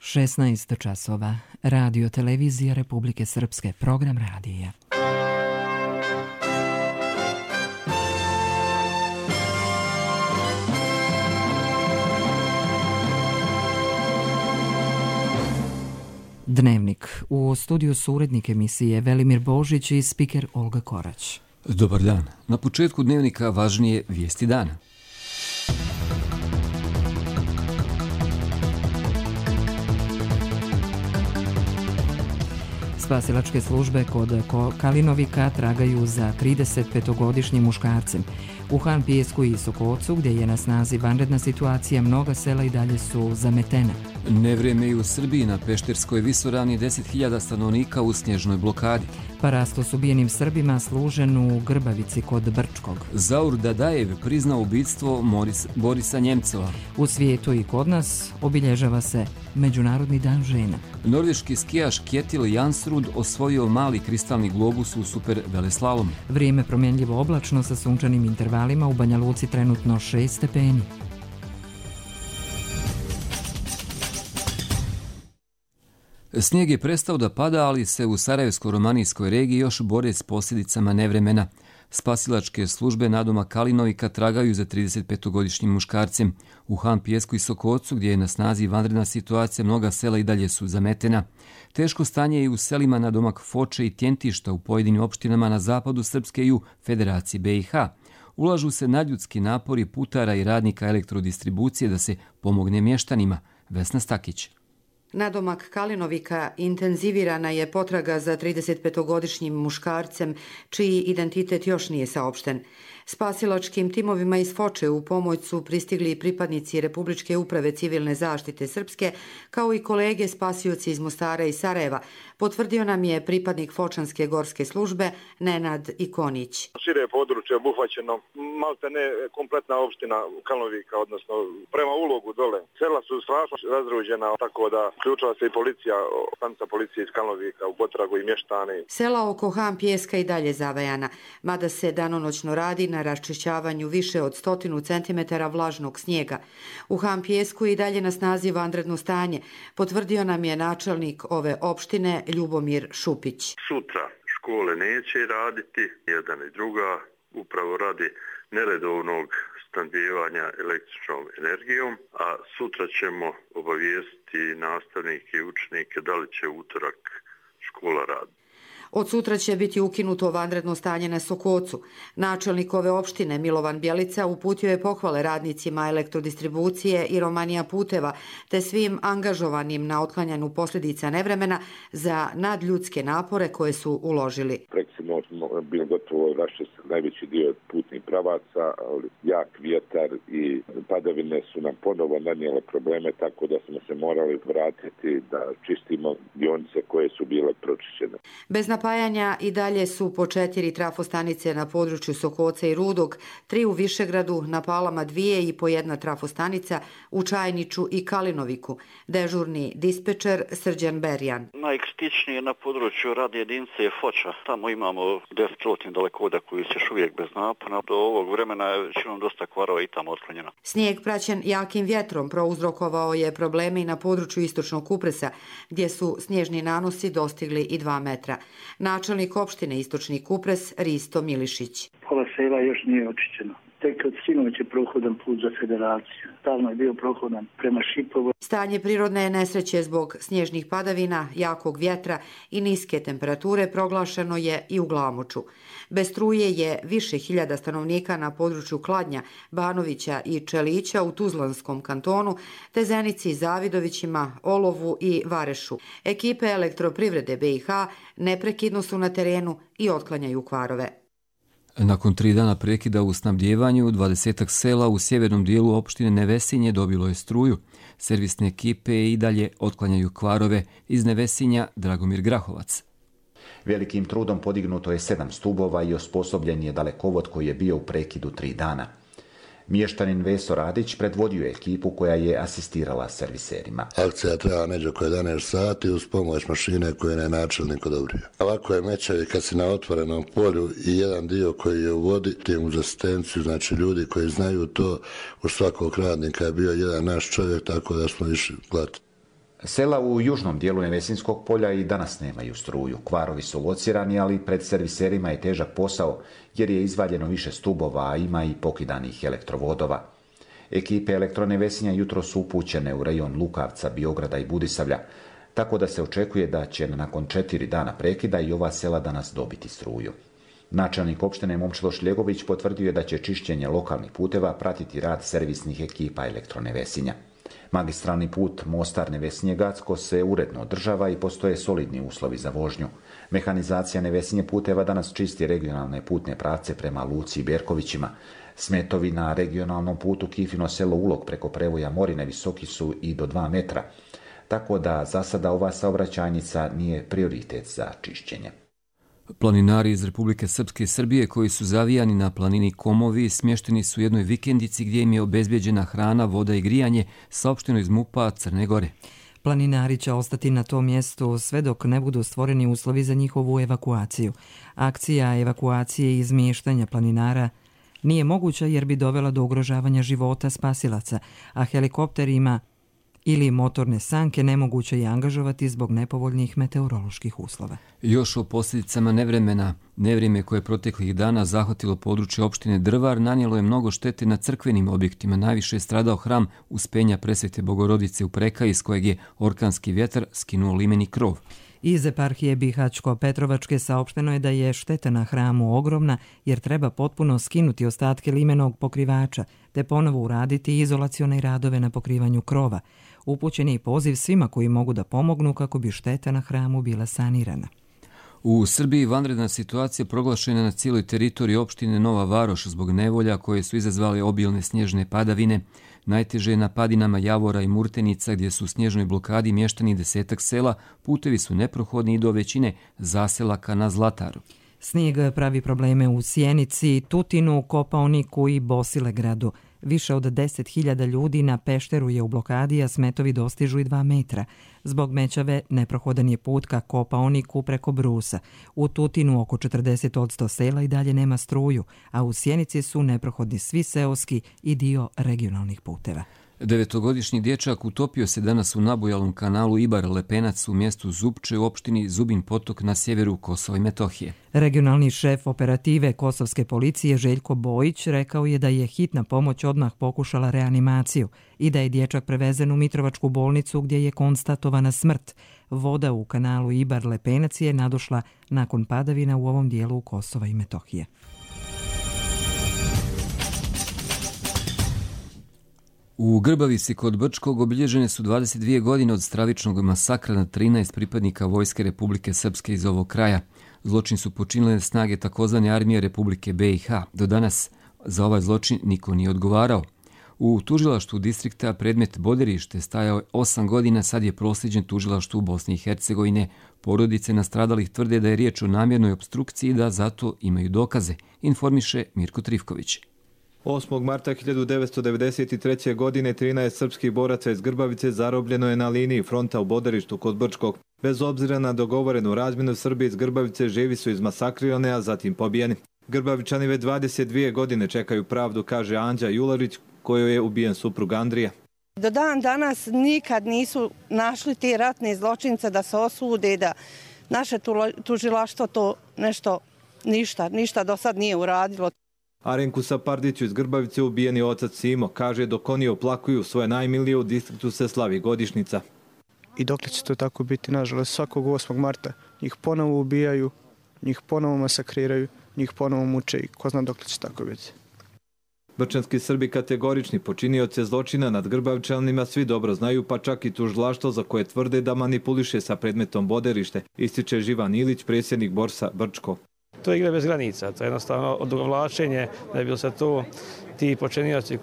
16 časova. Radio televizija Republike Srpske. Program radija. Dnevnik. U studiju su urednik emisije Velimir Božić i spiker Olga Korać. Dobar dan. Na početku dnevnika važnije vijesti dana. Spasilačke službe kod Kalinovika tragaju za 35-godišnjim muškarcem. U Han Pijesku i Sokocu, gdje je na snazi vanredna situacija, mnoga sela i dalje su zametena. Nevrijeme i u Srbiji. Na Pešterskoj visoravni 10.000 stanovnika u snježnoj blokadi. Parasto s ubijenim Srbima služen u Grbavici kod Brčkog. Zaur Dadajev priznao ubijstvo Borisa Njemcova. U svijetu i kod nas obilježava se Međunarodni dan žena. Norveški skijaš Kjetil Jansrud osvojio mali kristalni globus u super veleslalomu. Vrijeme promjenljivo oblačno sa sunčanim intervalima, u Banja Luci trenutno 6 stepeni. Snijeg je prestao da pada, ali se u Sarajevsko-romanijskoj regiji još bore s posljedicama nevremena. Spasilačke službe nadomak Kalinovika tragaju za 35-godišnjim muškarcem. U Han Pijesku i Sokocu, gdje je na snazi vanredna situacija, mnoga sela i dalje su zametena. Teško stanje je i u selima nadomak Foče i Tjentišta u pojedinim opštinama na zapadu Srpske i u Federaciji BiH. Ulažu se nadljudski napori putara i radnika elektrodistribucije da se pomogne mještanima. Vesna Stakić. Nadomak Kalinovika intenzivirana je potraga za 35-godišnjim muškarcem, čiji identitet još nije saopšten. Spasilačkim timovima iz Foče u pomoć su pristigli pripadnici Republičke uprave civilne zaštite Srpske, kao i kolege spasioci iz Mostara i Sarajeva, potvrdio nam je pripadnik Fočanske gorske službe Nenad Ikonić. Šire područje obuhvaćeno, malte ne kompletna opština Kalinovika, odnosno prema ulogu dole. Sela su strašno razruđena, tako da uključila se i policija, stanica policije iz Kalinovika u potragu i mještani. Sela oko Han Pijeska i dalje zavajana, mada se danonoćno radi na raščišćavanju više od 100 centimetara vlažnog snijega. U Han Pijesku i dalje na snazi vanredno stanje, potvrdio nam je načelnik ove opštine Ljubomir Šupić. Sutra škole neće raditi, jedan i druga, upravo radi neredovnog snabdijevanja električnom energijom, a sutra ćemo obavijestiti nastavnike i učenike da li će utorak škola raditi. Od sutra će biti ukinuto vanredno stanje na Sokocu. Načelnik ove opštine Milovan Bjelica uputio je pohvale radnicima elektrodistribucije i Romanija puteva, te svim angažovanim na otklanjanju posljedica nevremena za nadljudske napore koje su uložili. Preksimo smo bili gotovo raščistili najveći dio putnih pravaca, ali jak vjetar i padavine su nam ponovo nanijele probleme, tako da smo se morali vratiti da čistimo dionice koje su bile pročišćene. Bez napajanja i dalje su po 4 trafostanice na području Sokoca i Rudog, 3 u Višegradu, na Palama 2 i po 1 trafostanica u Čajniču i Kalinoviku. Dežurni dispečer Srđan Berjan. Najkritičnije je na području radne jedinice je Foča. Tamo imamo 10 dalekovoda koji se još uvijek bez napona. Do ovog vremena je većinom dosta kvarova i tamo otklonjeno. Snijeg praćen jakim vjetrom prouzrokovao je probleme i na području Istočnog Kupresa, gdje su snježni nanosi dostigli i 2 metra. Načelnik opštine Istočni Kupres Risto Milišić. Pola sela još nije očišćeno. Tek od sinoć je prohodan put za Federaciju. Stalno je bio prohodan prema Šipovu. Stanje prirodne nesreće zbog snježnih padavina, jakog vjetra i niske temperature proglašeno je i u Glamoču. Bez struje je više hiljada stanovnika na području Kladnja, Banovića i Čelića u Tuzlanskom kantonu, te Zenici, Zavidovićima, Olovu i Varešu. Ekipe elektroprivrede BiH neprekidno su na terenu i otklanjaju kvarove. Nakon 3 dana prekida u snabdjevanju, 20 sela u sjevernom dijelu opštine Nevesinje dobilo je struju. Servisne ekipe i dalje otklanjaju kvarove. Iz Nevesinja Dragomir Grahovac. Velikim trudom podignuto je 7 stubova i osposobljen je dalekovod koji je bio u prekidu 3 dana. Mještanin Veso Radić predvodio je ekipu koja je asistirala serviserima. Akcija treba neđe oko 11 sati uz pomoć mašine koje je načelnik odobrio. Ovako je mečevi kad si na otvorenom polju i jedan dio koji je u vodi, tim uz asistenciju, znači ljudi koji znaju to, u svakog radnika je bio jedan naš čovjek, tako da smo išli gledati. Sela u južnom dijelu Nevesinskog polja i danas nemaju struju. Kvarovi su locirani, ali pred serviserima je težak posao jer je izvaljeno više stubova, a ima i pokidanih elektrovodova. Ekipe Elektronevesinja jutro su upućene u rejon Lukavca, Biograda i Budisavlja, tako da se očekuje da će nakon 4 dana prekida i ova sela danas dobiti struju. Načelnik opštine Momčilo Šljegović potvrdio je da će čišćenje lokalnih puteva pratiti rad servisnih ekipa Elektronevesinja. Magistralni put Mostar-Nevesinje-Gacko se uredno održava i postoje solidni uslovi za vožnju. Mehanizacija Nevesinje puteva danas čisti regionalne putne pravce prema Luci i Berkovićima. Smetovi na regionalnom putu Kifino selo Ulog preko prevoja Morine visoki su i do 2 metra, tako da za sada ova saobraćajnica nije prioritet za čišćenje. Planinari iz Republike Srpske i Srbije koji su zavijani na planini Komovi smješteni su u jednoj vikendici gdje im je obezbjeđena hrana, voda i grijanje, saopšteno iz MUP-a Crne Gore. Planinari će ostati na tom mjestu sve dok ne budu stvoreni uslovi za njihovu evakuaciju. Akcija evakuacije i izmještanja planinara nije moguća jer bi dovela do ugrožavanja života spasilaca, a helikopterima ili motorne sanke nemoguće je angažovati zbog nepovoljnih meteoroloških uslova. Još o posljedicama nevremena. Nevrijeme koje je proteklih dana zahvatilo područje opštine Drvar nanijelo je mnogo štete na crkvenim objektima. Najviše je stradao hram Uspenja Presvete Bogorodice u Prekaji iz kojeg je orkanski vjetar skinuo limeni krov. Iz eparhije Bihaćko-Petrovačke saopšteno je da je šteta na hramu ogromna jer treba potpuno skinuti ostatke limenog pokrivača te ponovo uraditi izolacione radove na pokrivanju krova. Upućen je i poziv svima koji mogu da pomognu kako bi šteta na hramu bila sanirana. U Srbiji vanredna situacija proglašena na cijeloj teritoriji opštine Nova Varoš zbog nevolja koje su izazvale obilne snježne padavine. Najteže je na padinama Javora i Murtenica gdje su u snježnoj blokadi mještani 10 sela, putevi su neprohodni i do većine zaselaka na Zlataru. Snijeg pravi probleme u Sjenici, Tutinu, Kopaoniku i Bosilegradu. Više od 10.000 ljudi na Pešteru je u blokadi, a smetovi dostižu i 2 metra. Zbog mećave neprohodan je put ka Kopaoniku preko Brusa. U Tutinu oko 40% sela i dalje nema struju, a u Sjenici su neprohodni svi seoski i dio regionalnih puteva. 9-godišnji dječak utopio se danas u nabujalom kanalu Ibar-Lepenac u mjestu Zupče u opštini Zubin Potok na sjeveru Kosova i Metohije. Regionalni šef operative kosovske policije Željko Bojić rekao je da je hitna pomoć odmah pokušala reanimaciju i da je dječak prevezen u Mitrovačku bolnicu gdje je konstatovana smrt. Voda u kanalu Ibar-Lepenac je nadošla nakon padavina u ovom dijelu Kosova i Metohije. U Grbavici kod Brčkog obilježene su 22 godine od stravičnog masakra na 13 pripadnika Vojske Republike Srpske iz ovog kraja. Zločin su počinile snage takozvane armije Republike BiH. Do danas za ovaj zločin niko nije odgovarao. U tužilaštvu distrikta predmet Boderište stajao 8 godina, sad je proslijeđen tužilaštvu Bosne i Hercegovine. Porodice nastradalih tvrde da je riječ o namjernoj opstrukciji i da zato imaju dokaze, informiše Mirko Trifković. 8. marta 1993. godine 13 srpskih boraca iz Grbavice zarobljeno je na liniji fronta u Boderištu kod Brčkog. Bez obzira na dogovorenu razmjenu, Srbi iz Grbavice živi su izmasakrirane, a zatim pobijeni. Grbavičani već 22 godine čekaju pravdu, kaže Anđa Jularić, kojoj je ubijen suprug Andrija. Do dan danas nikad nisu našli te ratne zločince da se osude, da naše tužilaštvo to ništa do sad nije uradilo. Arenku Sapardiću iz Grbavice ubijen je otac Simo. Kaže, dok oni oplakuju svoje najmilije, u distriktu se slavi godišnjica. I dokle će to tako biti, nažalost, svakog 8. marta njih ponovo ubijaju, njih ponovo masakriraju, njih ponovo muče i ko zna dokle će tako biti. Brčanski Srbi kategorični počinioce zločina nad Grbavičanima svi dobro znaju, pa čak i tužilaštvo za koje tvrde da manipuliše sa predmetom Boderište, ističe Živan Ilić, predsjednik Borsa Brčko. To je igra bez granica, to je jednostavno odugovlačenje da je bilo se tu ti počinioci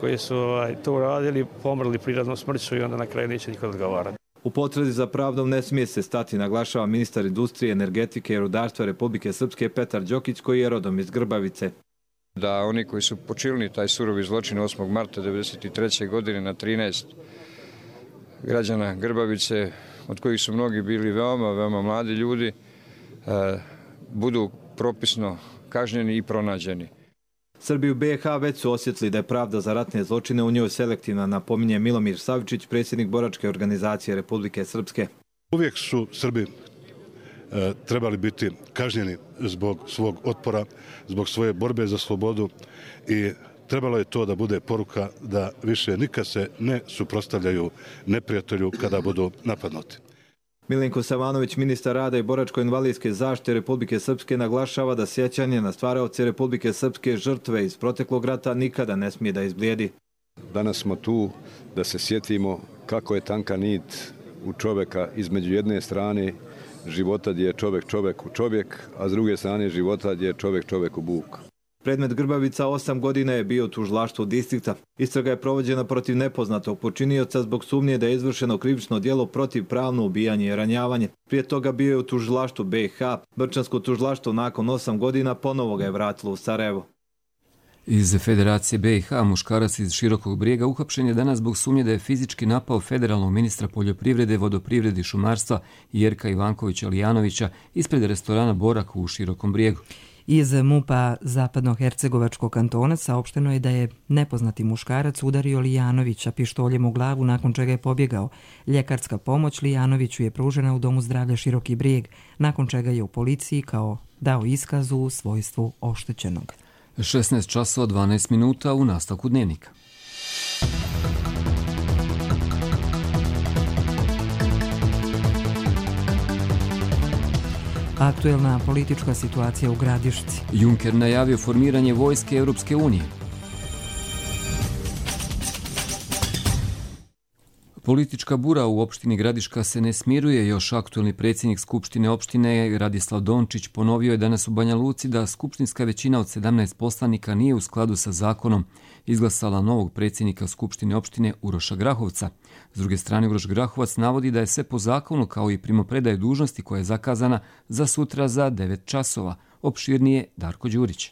koji su to radili, pomrli prirodnom smrću i onda na kraju neće niko odgovarati. U potrazi za pravdom ne smije se stati, naglašava ministar industrije, energetike i rudarstva Republike Srpske Petar Đokić, koji je rodom iz Grbavice. Da oni koji su počinili taj surovi zločin 8. marta 1993. godine na 13 građana Grbavice, od kojih su mnogi bili veoma mladi ljudi, budu propisno kažnjeni i pronađeni. Srbi u BiH već su osjetili da je pravda za ratne zločine u njoj selektivna, napominje Milomir Savičić, predsjednik boračke organizacije Republike Srpske. Uvijek su Srbi trebali biti kažnjeni zbog svog otpora, zbog svoje borbe za slobodu i trebalo je to da bude poruka da više nikad se ne suprotstavljaju neprijatelju kada budu napadnuti. Milenko Savanović, ministar rada i boračko-invalidske zaštite Republike Srpske, naglašava da sjećanje na stvaraoce Republike Srpske žrtve iz proteklog rata nikada ne smije da izblijedi. Danas smo tu da se sjetimo kako je tanka nit u čovjeka između jedne strane života gdje je čovjek u čovjek, a s druge strane života gdje je čovjek u Buk. Predmet Grbavica 8 godina je bio u tužilaštvu distrikta. Istraga je provođena protiv nepoznatog počinioca zbog sumnje da je izvršeno krivično djelo protivpravno ubijanje i ranjavanje. Prije toga bio je u tužilaštvu BiH. Brčansko tužilaštvo nakon 8 godina ponovo ga je vratilo u Sarajevo. Iz Federacije BiH muškarac iz Širokog Brijega uhapšen je danas zbog sumnje da je fizički napao federalnog ministra poljoprivrede, vodoprivrede i šumarstva Jerka Ivankovića Lijanovića ispred restorana Borak u Širokom Brijegu. Iz MUP-a Zapadnohercegovačkog kantona saopšteno je da je nepoznati muškarac udario Lijanovića pištoljem u glavu, nakon čega je pobjegao. Ljekarska pomoć Lijanoviću je pružena u Domu zdravlja Široki Brijeg, nakon čega je u policiji kao dao iskazu u svojstvu oštećenog. 16 časova 12 minuta u nastavku dnevnika. Aktuelna politička situacija u Gradišci. Juncker najavio formiranje vojske Europske unije. Politička bura u opštini Gradiška se ne smiruje. Još aktuelni predsjednik Skupštine opštine Radislav Dončić ponovio je danas u Banja Luci da skupštinska većina od 17 poslanika nije u skladu sa zakonom izglasala novog predsjednika Skupštine opštine Uroša Grahovca. S druge strane, Uroš Grahovac navodi da je sve po zakonu kao i primopredaje dužnosti koja je zakazana za sutra za 9 časova. Opširnije Darko Đurić.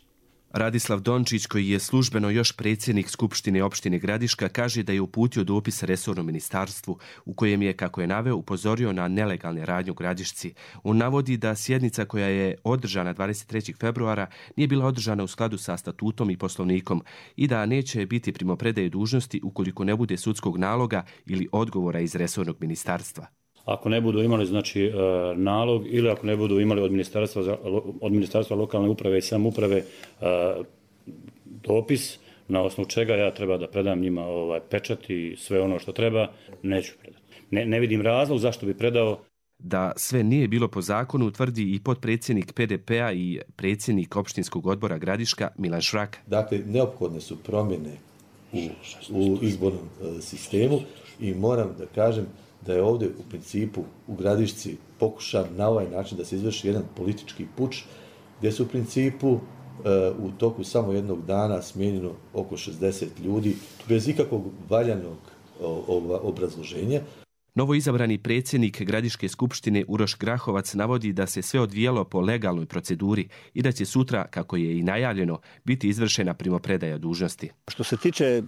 Radislav Dončić, koji je službeno još predsjednik Skupštine opštine Gradiška, kaže da je uputio dopis resornom ministarstvu u kojem je, kako je naveo, upozorio na nelegalne radnje u Gradišci. On navodi da sjednica koja je održana 23. februara nije bila održana u skladu sa statutom i poslovnikom i da neće biti primopredaje dužnosti ukoliko ne bude sudskog naloga ili odgovora iz resornog ministarstva. Ako ne budu imali nalog ili ako ne budu imali od ministarstva lokalne uprave i samouprave dopis na osnovu čega ja treba da predam njima pečat i sve ono što treba, neću predati. Ne vidim razlog zašto bi predao. Da sve nije bilo po zakonu tvrdi i potpredsjednik PDP-a i predsjednik opštinskog odbora Gradiška Milan Šrak. Dakle, neophodne su promjene u izbornom sistemu i moram da kažem da je ovdje u principu u Gradišci pokušan na ovaj način da se izvrši jedan politički puč, gdje su u principu u toku samo jednog dana smijenjeno oko 60 ljudi bez ikakvog valjanog obrazloženja. Novo izabrani predsjednik Gradiške skupštine Uroš Grahovac navodi da se sve odvijelo po legalnoj proceduri i da će sutra, kako je i najavljeno, biti izvršena primopredaja dužnosti. Što se tiče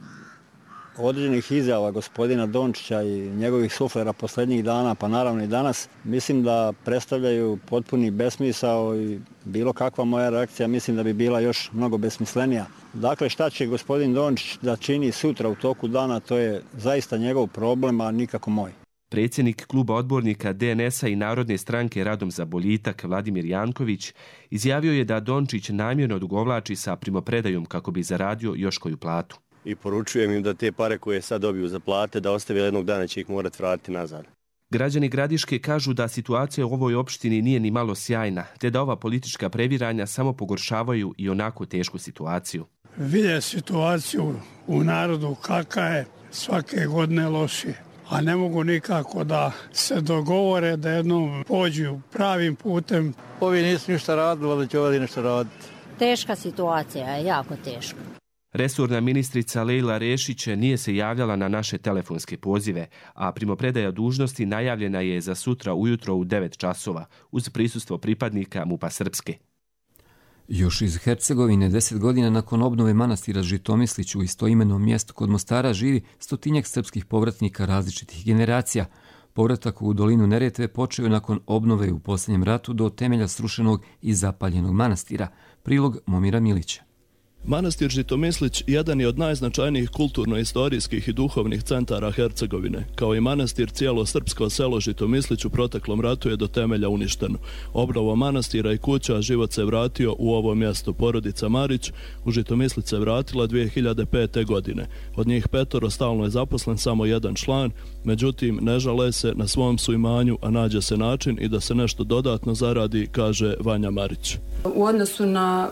određenih izjava gospodina Dončića i njegovih suflera posljednjih dana, pa naravno i danas, mislim da predstavljaju potpuni besmisao i bilo kakva moja reakcija mislim da bi bila još mnogo besmislenija. Dakle, šta će gospodin Dončić da čini sutra u toku dana, to je zaista njegov problem, a nikako moj. Predsjednik kluba odbornika DNS-a i Narodne stranke Radom za boljitak Vladimir Janković izjavio je da Dončić namjerno odugovlači sa primopredajom kako bi zaradio još koju platu. I poručujem im da te pare koje sad dobiju za plate, da ostave jednog dana će ih morati vratiti nazad. Građani Gradiške kažu da situacija u ovoj opštini nije ni malo sjajna, te da ova politička previranja samo pogoršavaju i onako tešku situaciju. Vidje situaciju u narodu kakva je svake godine lošije, a ne mogu nikako da se dogovore da jednom pođu pravim putem. Ovi nisu ništa radili, ali će ovdje nešto raditi. Teška situacija je, jako teška. Resorna ministrica Lejla Rešić nije se javljala na naše telefonske pozive, a primopredaja dužnosti najavljena je za sutra ujutro u 9 časova, uz prisustvo pripadnika MUP-a Srpske. Još iz Hercegovine 10 godina nakon obnove manastira Žitomislić u istoimenom mjestu kod Mostara živi 100-tinjak srpskih povratnika različitih generacija. Povratak u dolinu Neretve počeo je nakon obnove u posljednjem ratu do temelja srušenog i zapaljenog manastira. Prilog Momira Milića. Manastir Žitomislić jedan je od najznačajnijih kulturno-istorijskih i duhovnih centara Hercegovine. Kao i manastir, cijelo srpsko selo Žitomislić u proteklom ratu je do temelja uništeno. Obnovom manastira i kuća život se vratio u ovo mjesto. Porodica Marić u Žitomislić se vratila 2005. godine. Od njih 5 stalno je zaposlen samo jedan član, međutim ne žale se, na svom su imanju, a nađe se način i da se nešto dodatno zaradi, kaže Vanja Marić. U odnosu na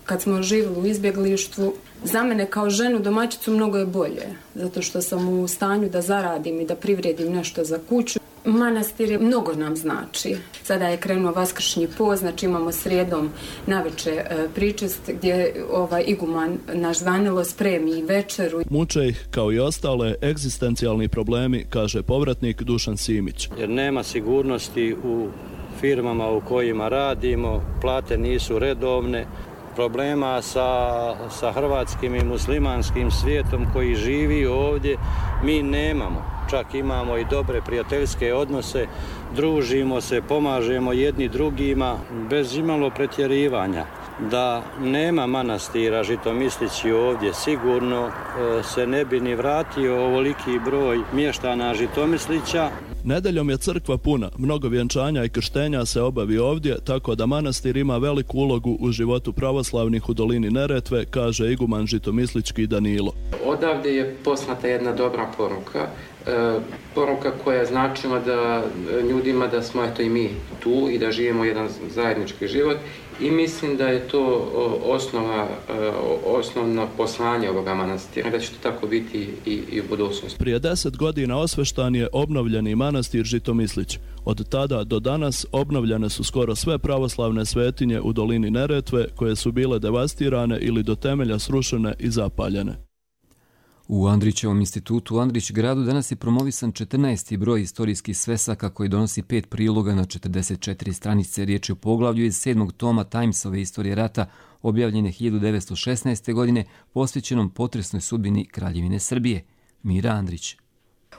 kad smo živjeli u izbjeglištvu, za mene kao ženu domaćicu mnogo je bolje, zato što sam u stanju da zaradim i da privredim nešto za kuću. Manastir mnogo nam znači. Sada je krenuo vaskršnji post, znači imamo srijedom naveče pričest gdje iguman naš Zvanilo spremi večeru. Muče ih, kao i ostale, egzistencijalni problemi, kaže povratnik Dušan Simić. Jer nema sigurnosti u firmama u kojima radimo, plate nisu redovne, problema sa hrvatskim i muslimanskim svijetom koji živi ovdje mi nemamo. Čak imamo i dobre prijateljske odnose, družimo se, pomažemo jedni drugima bez imalo pretjerivanja. Da nema manastira Žitomislići ovdje, sigurno se ne bi ni vratio ovoliki broj mještana Žitomislića. Nedeljom je crkva puna, mnogo vjenčanja i krštenja se obavi ovdje, tako da manastir ima veliku ulogu u životu pravoslavnih u dolini Neretve, kaže iguman žitomislički Danilo. Odavde je poslata jedna dobra poruka, poruka koja je značila da ljudima da smo eto i mi tu i da živimo jedan zajednički život i mislim da je to osnovno poslanje ovoga manastira, da će to tako biti i u budućnosti. Prije 10 godina osveštan je obnovljeni manastir Žitomislić. Od tada do danas obnovljene su skoro sve pravoslavne svetinje u dolini Neretve koje su bile devastirane ili do temelja srušene i zapaljene. U Andrićevom institutu u Andrić gradu danas je promovisan 14. broj istorijskih svesaka koji donosi 5 priloga na 44 stranice. Riječ je o poglavlju iz 7. toma Timesove istorije rata, objavljene 1916. godine, posvećenom potresnoj sudbini Kraljevine Srbije. Mira Andrić.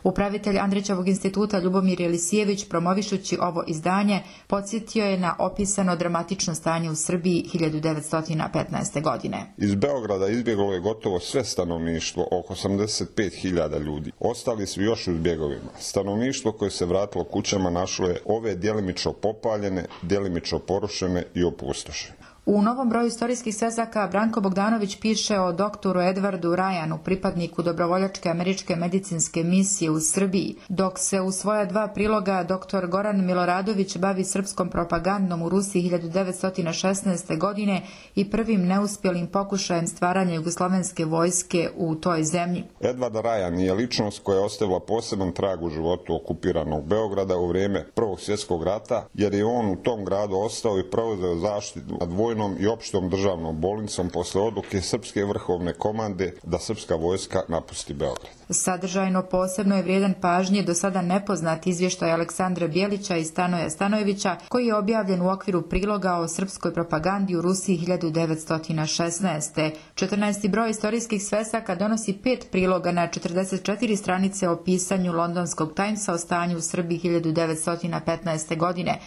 Upravitelj Andrićevog instituta Ljubomir Jelisijević, promovišući ovo izdanje, podsjetio je na opisano dramatično stanje u Srbiji 1915. godine. Iz Beograda izbjeglo je gotovo sve stanovništvo, oko 85.000 ljudi. Ostali su još u zbjegovima. Stanovništvo koje se vratilo kućama našlo je ove djelimično popaljene, djelimično porušene i opustošene. U novom broju istorijskih svesaka Branko Bogdanović piše o doktoru Edwardu Ryanu, pripadniku dobrovoljačke američke medicinske misije u Srbiji, dok se u svoja 2 priloga dr. Goran Miloradović bavi srpskom propagandom u Rusiji 1916. godine i prvim neuspjelim pokušajem stvaranja jugoslovenske vojske u toj zemlji. Edward Ryan je ličnost koja je ostavila poseban trag u životu okupiranog Beograda u vrijeme Prvog svjetskog rata, jer je on u tom gradu ostao i preuzeo zaštitu nad vojnom i opštom državnom bolnicom posle odluke Srpske vrhovne komande da srpska vojska napusti Beograd. Sadržajno posebno je vrijedan pažnje do sada nepoznat izvještaj Aleksandra Bjelića i Stanoja Stanojevića, koji je objavljen u okviru priloga o srpskoj propagandi u Rusiji 1916. 14. broj istorijskih svesaka donosi 5 priloga na 44 stranice o pisanju londonskog Timesa o stanju u Srbiji 1915. godine.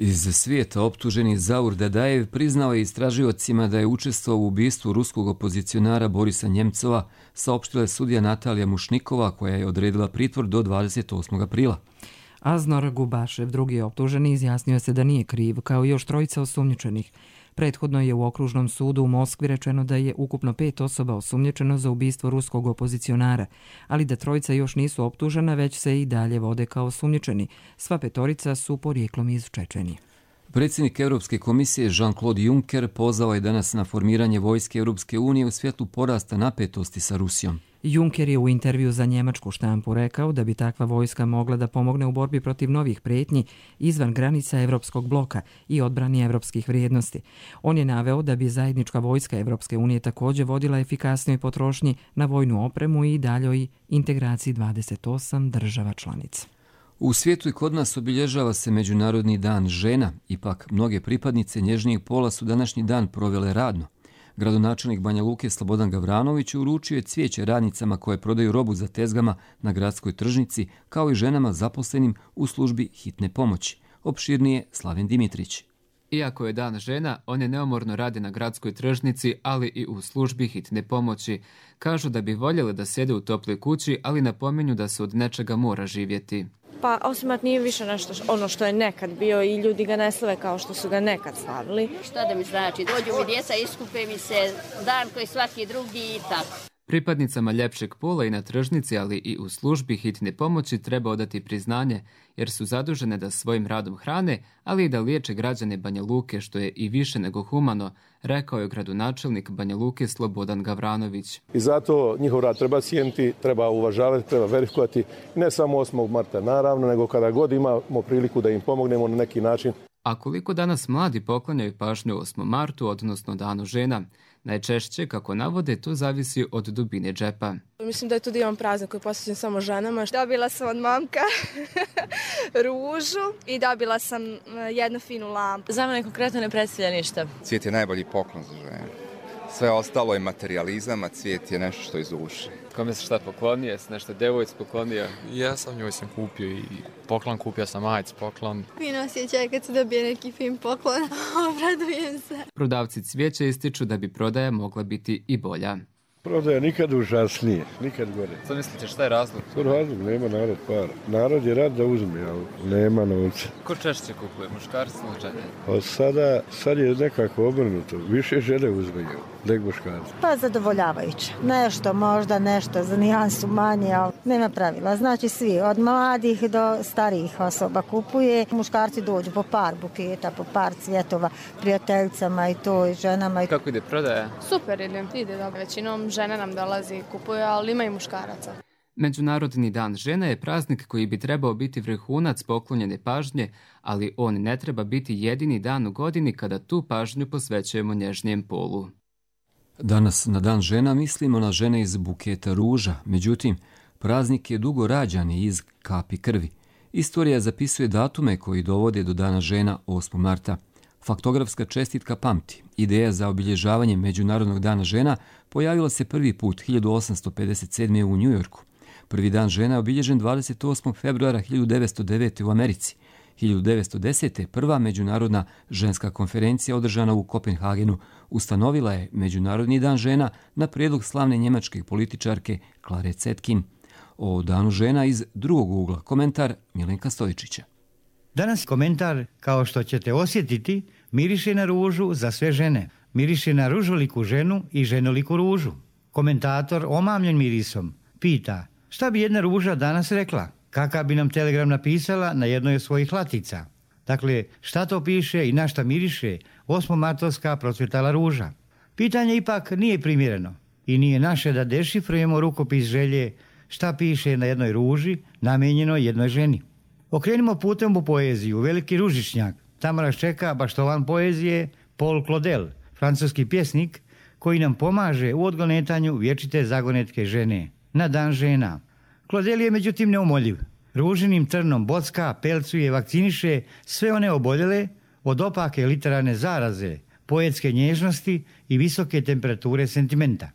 Iz svijeta optuženi Zaur Dadajev priznao je istražiocima da je učestvovao u ubistvu ruskog opozicionara Borisa Njemcova, saopštila je sudija Natalija Mušnikova, koja je odredila pritvor do 28. aprila. Aznor Gubašev, drugi optuženi, izjasnio se da nije kriv, kao i još 3 osumnjičenih. Prethodno je u okružnom sudu u Moskvi rečeno da je ukupno 5 osoba osumnjičeno za ubistvo ruskog opozicionara, ali da 3 još nisu optužena, već se i dalje vode kao osumnjičeni. Sva 5 su porijeklom iz Čečenije. Predsjednik Europske komisije Jean-Claude Juncker pozvao je danas na formiranje vojske Europske unije u svjetlu porasta napetosti sa Rusijom. Juncker je u intervju za njemačku štampu rekao da bi takva vojska mogla da pomogne u borbi protiv novih prijetnji izvan granica Europskog bloka i odbrani europskih vrijednosti. On je naveo da bi zajednička vojska Europske unije također vodila efikasnoj potrošnji na vojnu opremu i daljoj integraciji 28 država članica. U svijetu i kod nas obilježava se Međunarodni dan žena, ipak mnoge pripadnice nježnijeg pola su današnji dan provele radno. Gradonačelnik Banja Luke Slobodan Gavranović uručio je cvijeće radnicama koje prodaju robu za tezgama na gradskoj tržnici, kao i ženama zaposlenim u službi hitne pomoći. Opširnije Slaven Dimitrić. Iako je dan žena, one neumorno rade na gradskoj tržnici, ali i u službi hitne pomoći. Kažu da bi voljele da sjede u toploj kući, ali napominju da se od nečega mora živjeti. Pa 8. mart nije više nešto ono što je nekad bio i ljudi ga ne slave kao što su ga nekad slavili. Šta da mi znači, dođu mi djeca, iskupe mi se dan koji svaki drugi i tako. Pripadnicama ljepšeg pola i na tržnici, ali i u službi hitne pomoći treba odati priznanje, jer su zadužene da svojim radom hrane, ali i da liječe građane Banja Luke, što je i više nego humano, rekao je gradonačelnik Banja Luke Slobodan Gavranović. I zato njihov rad treba cijeniti, treba uvažavati, treba verifikovati, ne samo 8. marta naravno, nego kada god imamo priliku da im pomognemo na neki način. A koliko danas mladi poklanjaju pažnju 8. martu, odnosno Danu žena? Najčešće, kako navode, to zavisi od dubine džepa. Mislim da je to divan praznik koji je posvećen samo ženama. Dobila sam od mamka ružu i dobila sam jednu finu lampu. Za mene konkretno ne predstavlja ništa. Cvijet je najbolji poklon za žene. Sve ostalo je materijalizam, a cvijet je nešto što iz duše. Kome se šta poklonio? Jesi nešto devojci poklonio? Ja sam njoj kupio i poklon, kupio sam majic poklon. Fino osjećaj kad se dobije neki fin poklon, obradujem se. Prodavci cvijeća ističu da bi prodaja mogla biti i bolja. Prodaja nikad užasnije, nikad gore. Što mislite, šta je razlog? To razlog, nema narod para. Narod je rad da uzme, ali nema novca. Ko češće kupuje, muškarci ili žene? Pa sad je nekako obrnuto, više žene uzmeju nego muškarci. Pa zadovoljavajuće. Nešto možda, nešto za nijansu manje, ali nema pravila. Znači svi, od mladih do starijih osoba kupuje. Muškarci dođu po par buketa, po par cvjetova, prijateljicama i to, i ženama. Kako ide prodaja? Super ide dobro. Većinom žena nam dolazi i kupuje, ali ima i muškaraca. Međunarodni dan žena je praznik koji bi trebao biti vrhunac poklonjene pažnje, ali on ne treba biti jedini dan u godini kada tu pažnju posvećujemo nježnijem polu. Danas na dan žena mislimo na žene iz buketa ruža, međutim, praznik je dugo rađan i iz kapi krvi. Istorija zapisuje datume koji dovode do dana žena 8. marta. Faktografska čestitka pamti. Ideja za obilježavanje Međunarodnog dana žena pojavila se prvi put 1857. u Njujorku. Prvi dan žena je obilježen 28. februara 1909. u Americi. 1910. prva Međunarodna ženska konferencija održana u Kopenhagenu ustanovila je Međunarodni dan žena na prijedlog slavne njemačke političarke Klare Zetkin. O danu žena iz drugog ugla komentar Milenka Stojičića. Danas komentar, kao što ćete osjetiti, miriše na ružu za sve žene. Miriše na ružoliku ženu i ženoliku ružu. Komentator, omamljen mirisom, pita šta bi jedna ruža danas rekla? Kakav bi nam telegram napisala na jednoj od svojih latica? Dakle, šta to piše i na šta miriše 8. martovska procvjetala ruža? Pitanje ipak nije primjereno i nije naše da dešifrujemo rukopis želje šta piše na jednoj ruži namijenjenoj jednoj ženi. Okrenimo putem u poeziju, veliki ružičnjak. Tamo nas čeka baštovan poezije Paul Claudel, francuski pjesnik koji nam pomaže u odgonetanju vječite zagonetke žene na dan žena. Claudel je međutim neumoljiv. Ružinim trnom bocka, pelcuje, vakciniše sve one oboljele od opake literarne zaraze, poetske nježnosti i visoke temperature sentimenta.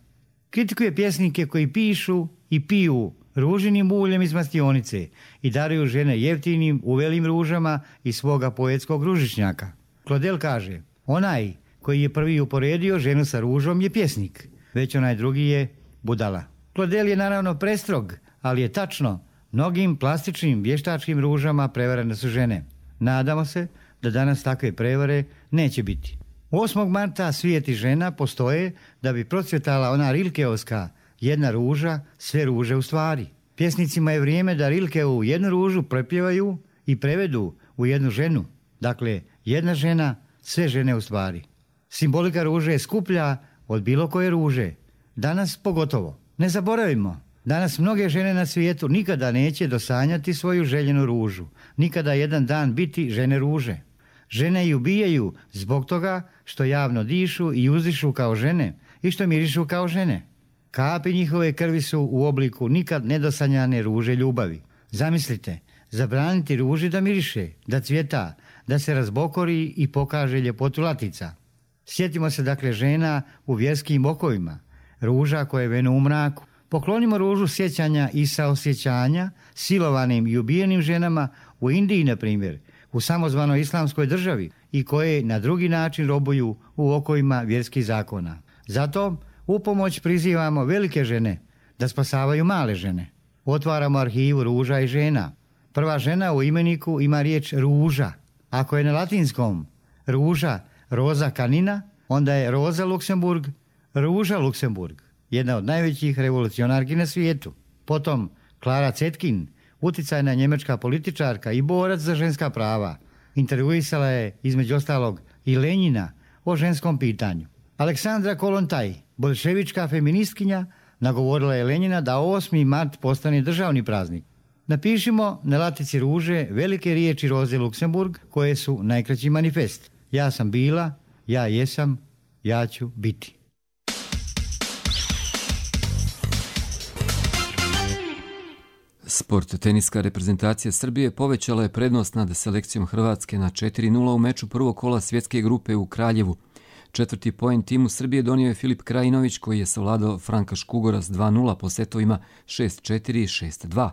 Kritikuje pjesnike koji pišu i piju ružinim uljem iz mastionice i daruju žene jeftinim uvelim ružama iz svoga poetskog ružičnjaka. Claudel kaže, onaj koji je prvi uporedio ženu sa ružom je pjesnik, već onaj drugi je budala. Claudel je naravno prestrog, ali je tačno, mnogim plastičnim vještačkim ružama prevarene su žene. Nadamo se da danas takve prevare neće biti. 8. marta svijeti žena postoje da bi procvjetala ona Rilkeovska jedna ruža, sve ruže u stvari. Pjesnicima je vrijeme da Rilkeovu jednu ružu prepjevaju i prevedu u jednu ženu. Dakle, jedna žena, sve žene u stvari. Simbolika ruže je skuplja od bilo koje ruže. Danas pogotovo. Ne zaboravimo, danas mnoge žene na svijetu nikada neće dosanjati svoju željenu ružu. Nikada jedan dan biti žene ruže. Žene ju ubijaju zbog toga što javno dišu i uzdišu kao žene i što mirišu kao žene. Kapi njihove krvi su u obliku nikad nedosanjane ruže ljubavi. Zamislite, zabraniti ruži da miriše, da cvjeta, da se razbokori i pokaže ljepotu latica. Sjetimo se dakle žena u vjerskim okovima, ruža koje venu u mraku. Poklonimo ružu sjećanja i saosjećanja silovanim i ubijenim ženama u Indiji, na primjer, u samozvanoj islamskoj državi i koje na drugi način robuju u okovima vjerskih zakona. Zato u pomoć prizivamo velike žene da spasavaju male žene. Otvaramo arhivu ruža i žena. Prva žena u imeniku ima riječ ruža. Ako je na latinskom ruža, roza canina, onda je Roza Luksemburg, Ruža Luksemburg, jedna od najvećih revolucionarki na svijetu. Potom Klara Zetkin, uticajna njemačka političarka i borac za ženska prava. Intervjuisala je između ostalog i Lenjina o ženskom pitanju. Aleksandra Kolontaj, bolševička feministkinja, nagovorila je Lenjina da 8. mart postane državni praznik. Napišimo na latici ruže velike riječi Roze Luksemburg koje su najkraći manifest. Ja sam bila, ja jesam, ja ću biti. Sport. Teniska reprezentacija Srbije povećala je prednost nad selekcijom Hrvatske na 4:0 u meču prvog kola svjetske grupe u Kraljevu. 4. poen timu Srbije donio je Filip Krajinović koji je savladao Franka Škugora s 2:0 po setovima 6-4 i 6-2.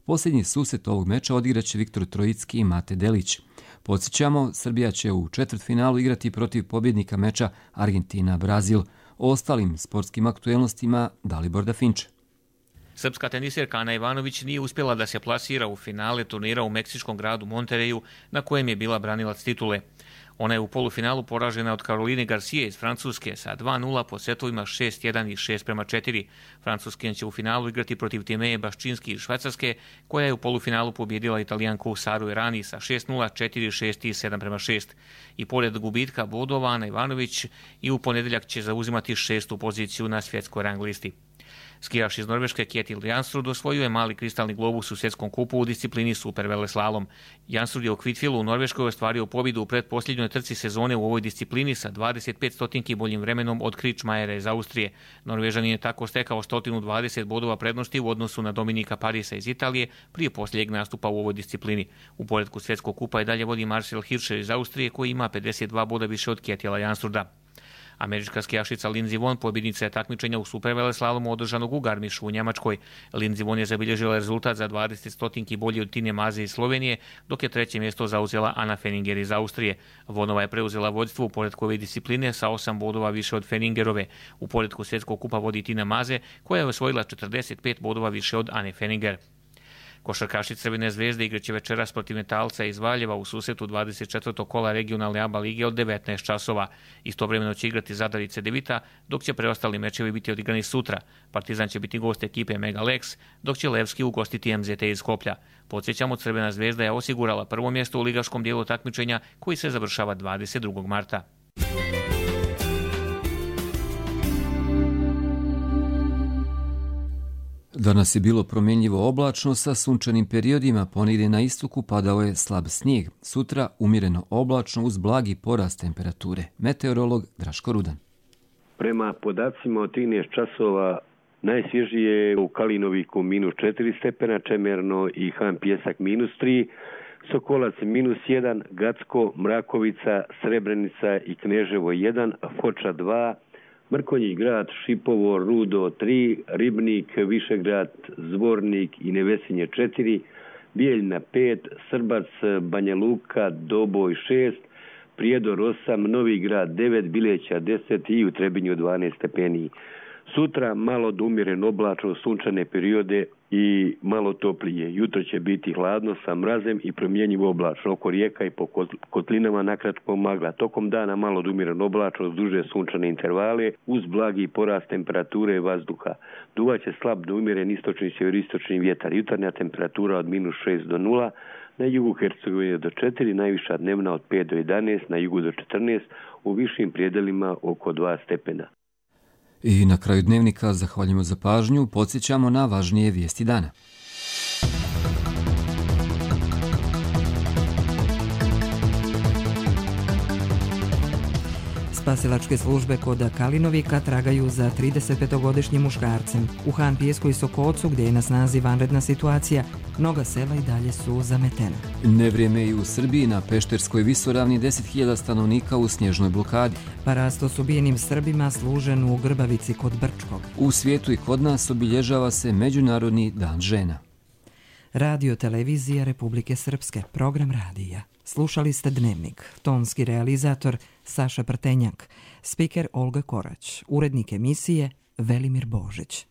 Posljednji susret ovog meča odigraće Viktor Trojicki i Mate Delić. Podsjećamo, Srbija će u četvrtfinalu igrati protiv pobjednika meča Argentina-Brazil. O ostalim sportskim aktuelnostima Dalibor Dafinče. Srpska tenisirka Ana Ivanović nije uspjela da se plasira u finale turnira u meksičkom gradu Montereju, na kojem je bila branilac titule. Ona je u polufinalu poražena od Karoline Garcije iz Francuske sa 2:0 po setovima 6-1 i 6-4. Francuskinja će u finalu igrati protiv Timeje Baščinski iz Švajcarske, koja je u polufinalu pobjedila Italijanku Saru Errani sa 6:0, 4-6 i 7-6. I pored gubitka bodova, Ana Ivanović i u ponedjeljak će zauzimati 6. poziciju na svjetskoj rang listi. Skijaš iz Norveške Kjetil Jansrud osvojio je mali kristalni globus u svjetskom kupu u disciplini superveleslalom. Jansrud je u Kvitfilu u Norveškoj ostvario pobjedu u pretposljednjoj trci sezone u ovoj disciplini sa 25 stotinki boljim vremenom od Kričmajera iz Austrije. Norvežanin je tako stekao 120 bodova prednosti u odnosu na Dominika Parisa iz Italije prije posljednjeg nastupa u ovoj disciplini. U poretku svjetskog kupa i dalje vodi Marcel Hirscher iz Austrije koji ima 52 boda više od Kjetila Jansruda. Američka skijašica Lindsey Vonn pobjednica je takmičenja u superveleslalomu održanog u Garmišu u Njemačkoj. Lindsey Vonn je zabilježila rezultat za 20 stotinki bolji od Tine Maze iz Slovenije, dok je treće mjesto zauzela Anna Fenninger iz Austrije. Vonova je preuzela vodstvo u poretku ove discipline sa 8 bodova više od Fenningerove. U poretku svjetskog kupa vodi Tina Maze, koja je osvojila 45 bodova više od Anne Fenninger. Košarkaši Crvene zvezde igraće večeras protiv Metalca iz Valjeva u susretu 24. kola regionalne ABA lige od 19 časova. Istovremeno će igrati Zadar i Cedevita, dok će preostali mečevi biti odigrani sutra. Partizan će biti gost ekipe Mega Lex, dok će Levski ugostiti MZT iz Skoplja. Podsjećamo, Crvena zvezda je osigurala prvo mjesto u ligaškom dijelu takmičenja koji se završava 22. marta. Danas je bilo promjenjivo oblačno sa sunčanim periodima, ponegdje na istoku padao je slab snijeg. Sutra umjereno oblačno uz blagi porast temperature. Meteorolog Draško Rudan. Prema podacima od 13 časova najsvježije u Kalinoviku -4 stepena, Čemerno i Han Pjesak -3, Sokolac -1, Gacko, Mrakovica, Srebrenica i Kneževo 1, Foča 2, Mrkonji grad, Šipovo, Rudo 3, Ribnik, Višegrad, Zvornik i Nevesinje 4, Bijeljna 5, Srbac, Banja Luka, Doboj 6, Prijedor 8, Novi grad 9, Bileća 10 i u Trebinju 12 stepeni. Sutra malo do umjeren oblačno, sunčane periode i malo toplije. Jutro će biti hladno sa mrazem i promjenjivo oblačno. Oko rijeka i po kotlinama nakratko magla. Tokom dana malo do umjeren oblačno uz duže sunčane intervale uz blagi porast temperature vazduha. Duvaće slab do umjeren istočni sjeveristočni vjetar. Jutarnja temperatura od -6 do 0, na jugu Hercegovine do 4, najviša dnevna od 5 do 11, na jugu do 14, u višim prijedelima oko 2 stepena. I na kraju dnevnika zahvaljujemo za pažnju, podsjećamo na važnije vijesti dana. Spasilačke službe kod Kalinovika tragaju za 35-godišnjim muškarcem. U Han Pijesku i Sokocu, gdje je na snazi vanredna situacija, mnoga sela i dalje su zametena. Nevrijeme i u Srbiji, na Pešterskoj visoravni 10.000 stanovnika u snježnoj blokadi. Parasto s ubijenim Srbima služen u Grbavici kod Brčkog. U svijetu i kod nas obilježava se Međunarodni dan žena. Radio televizija Republike Srpske, program radija. Slušali ste Dnevnik, tonski realizator Saša Prtenjak, spiker Olga Korać, urednik emisije Velimir Božić.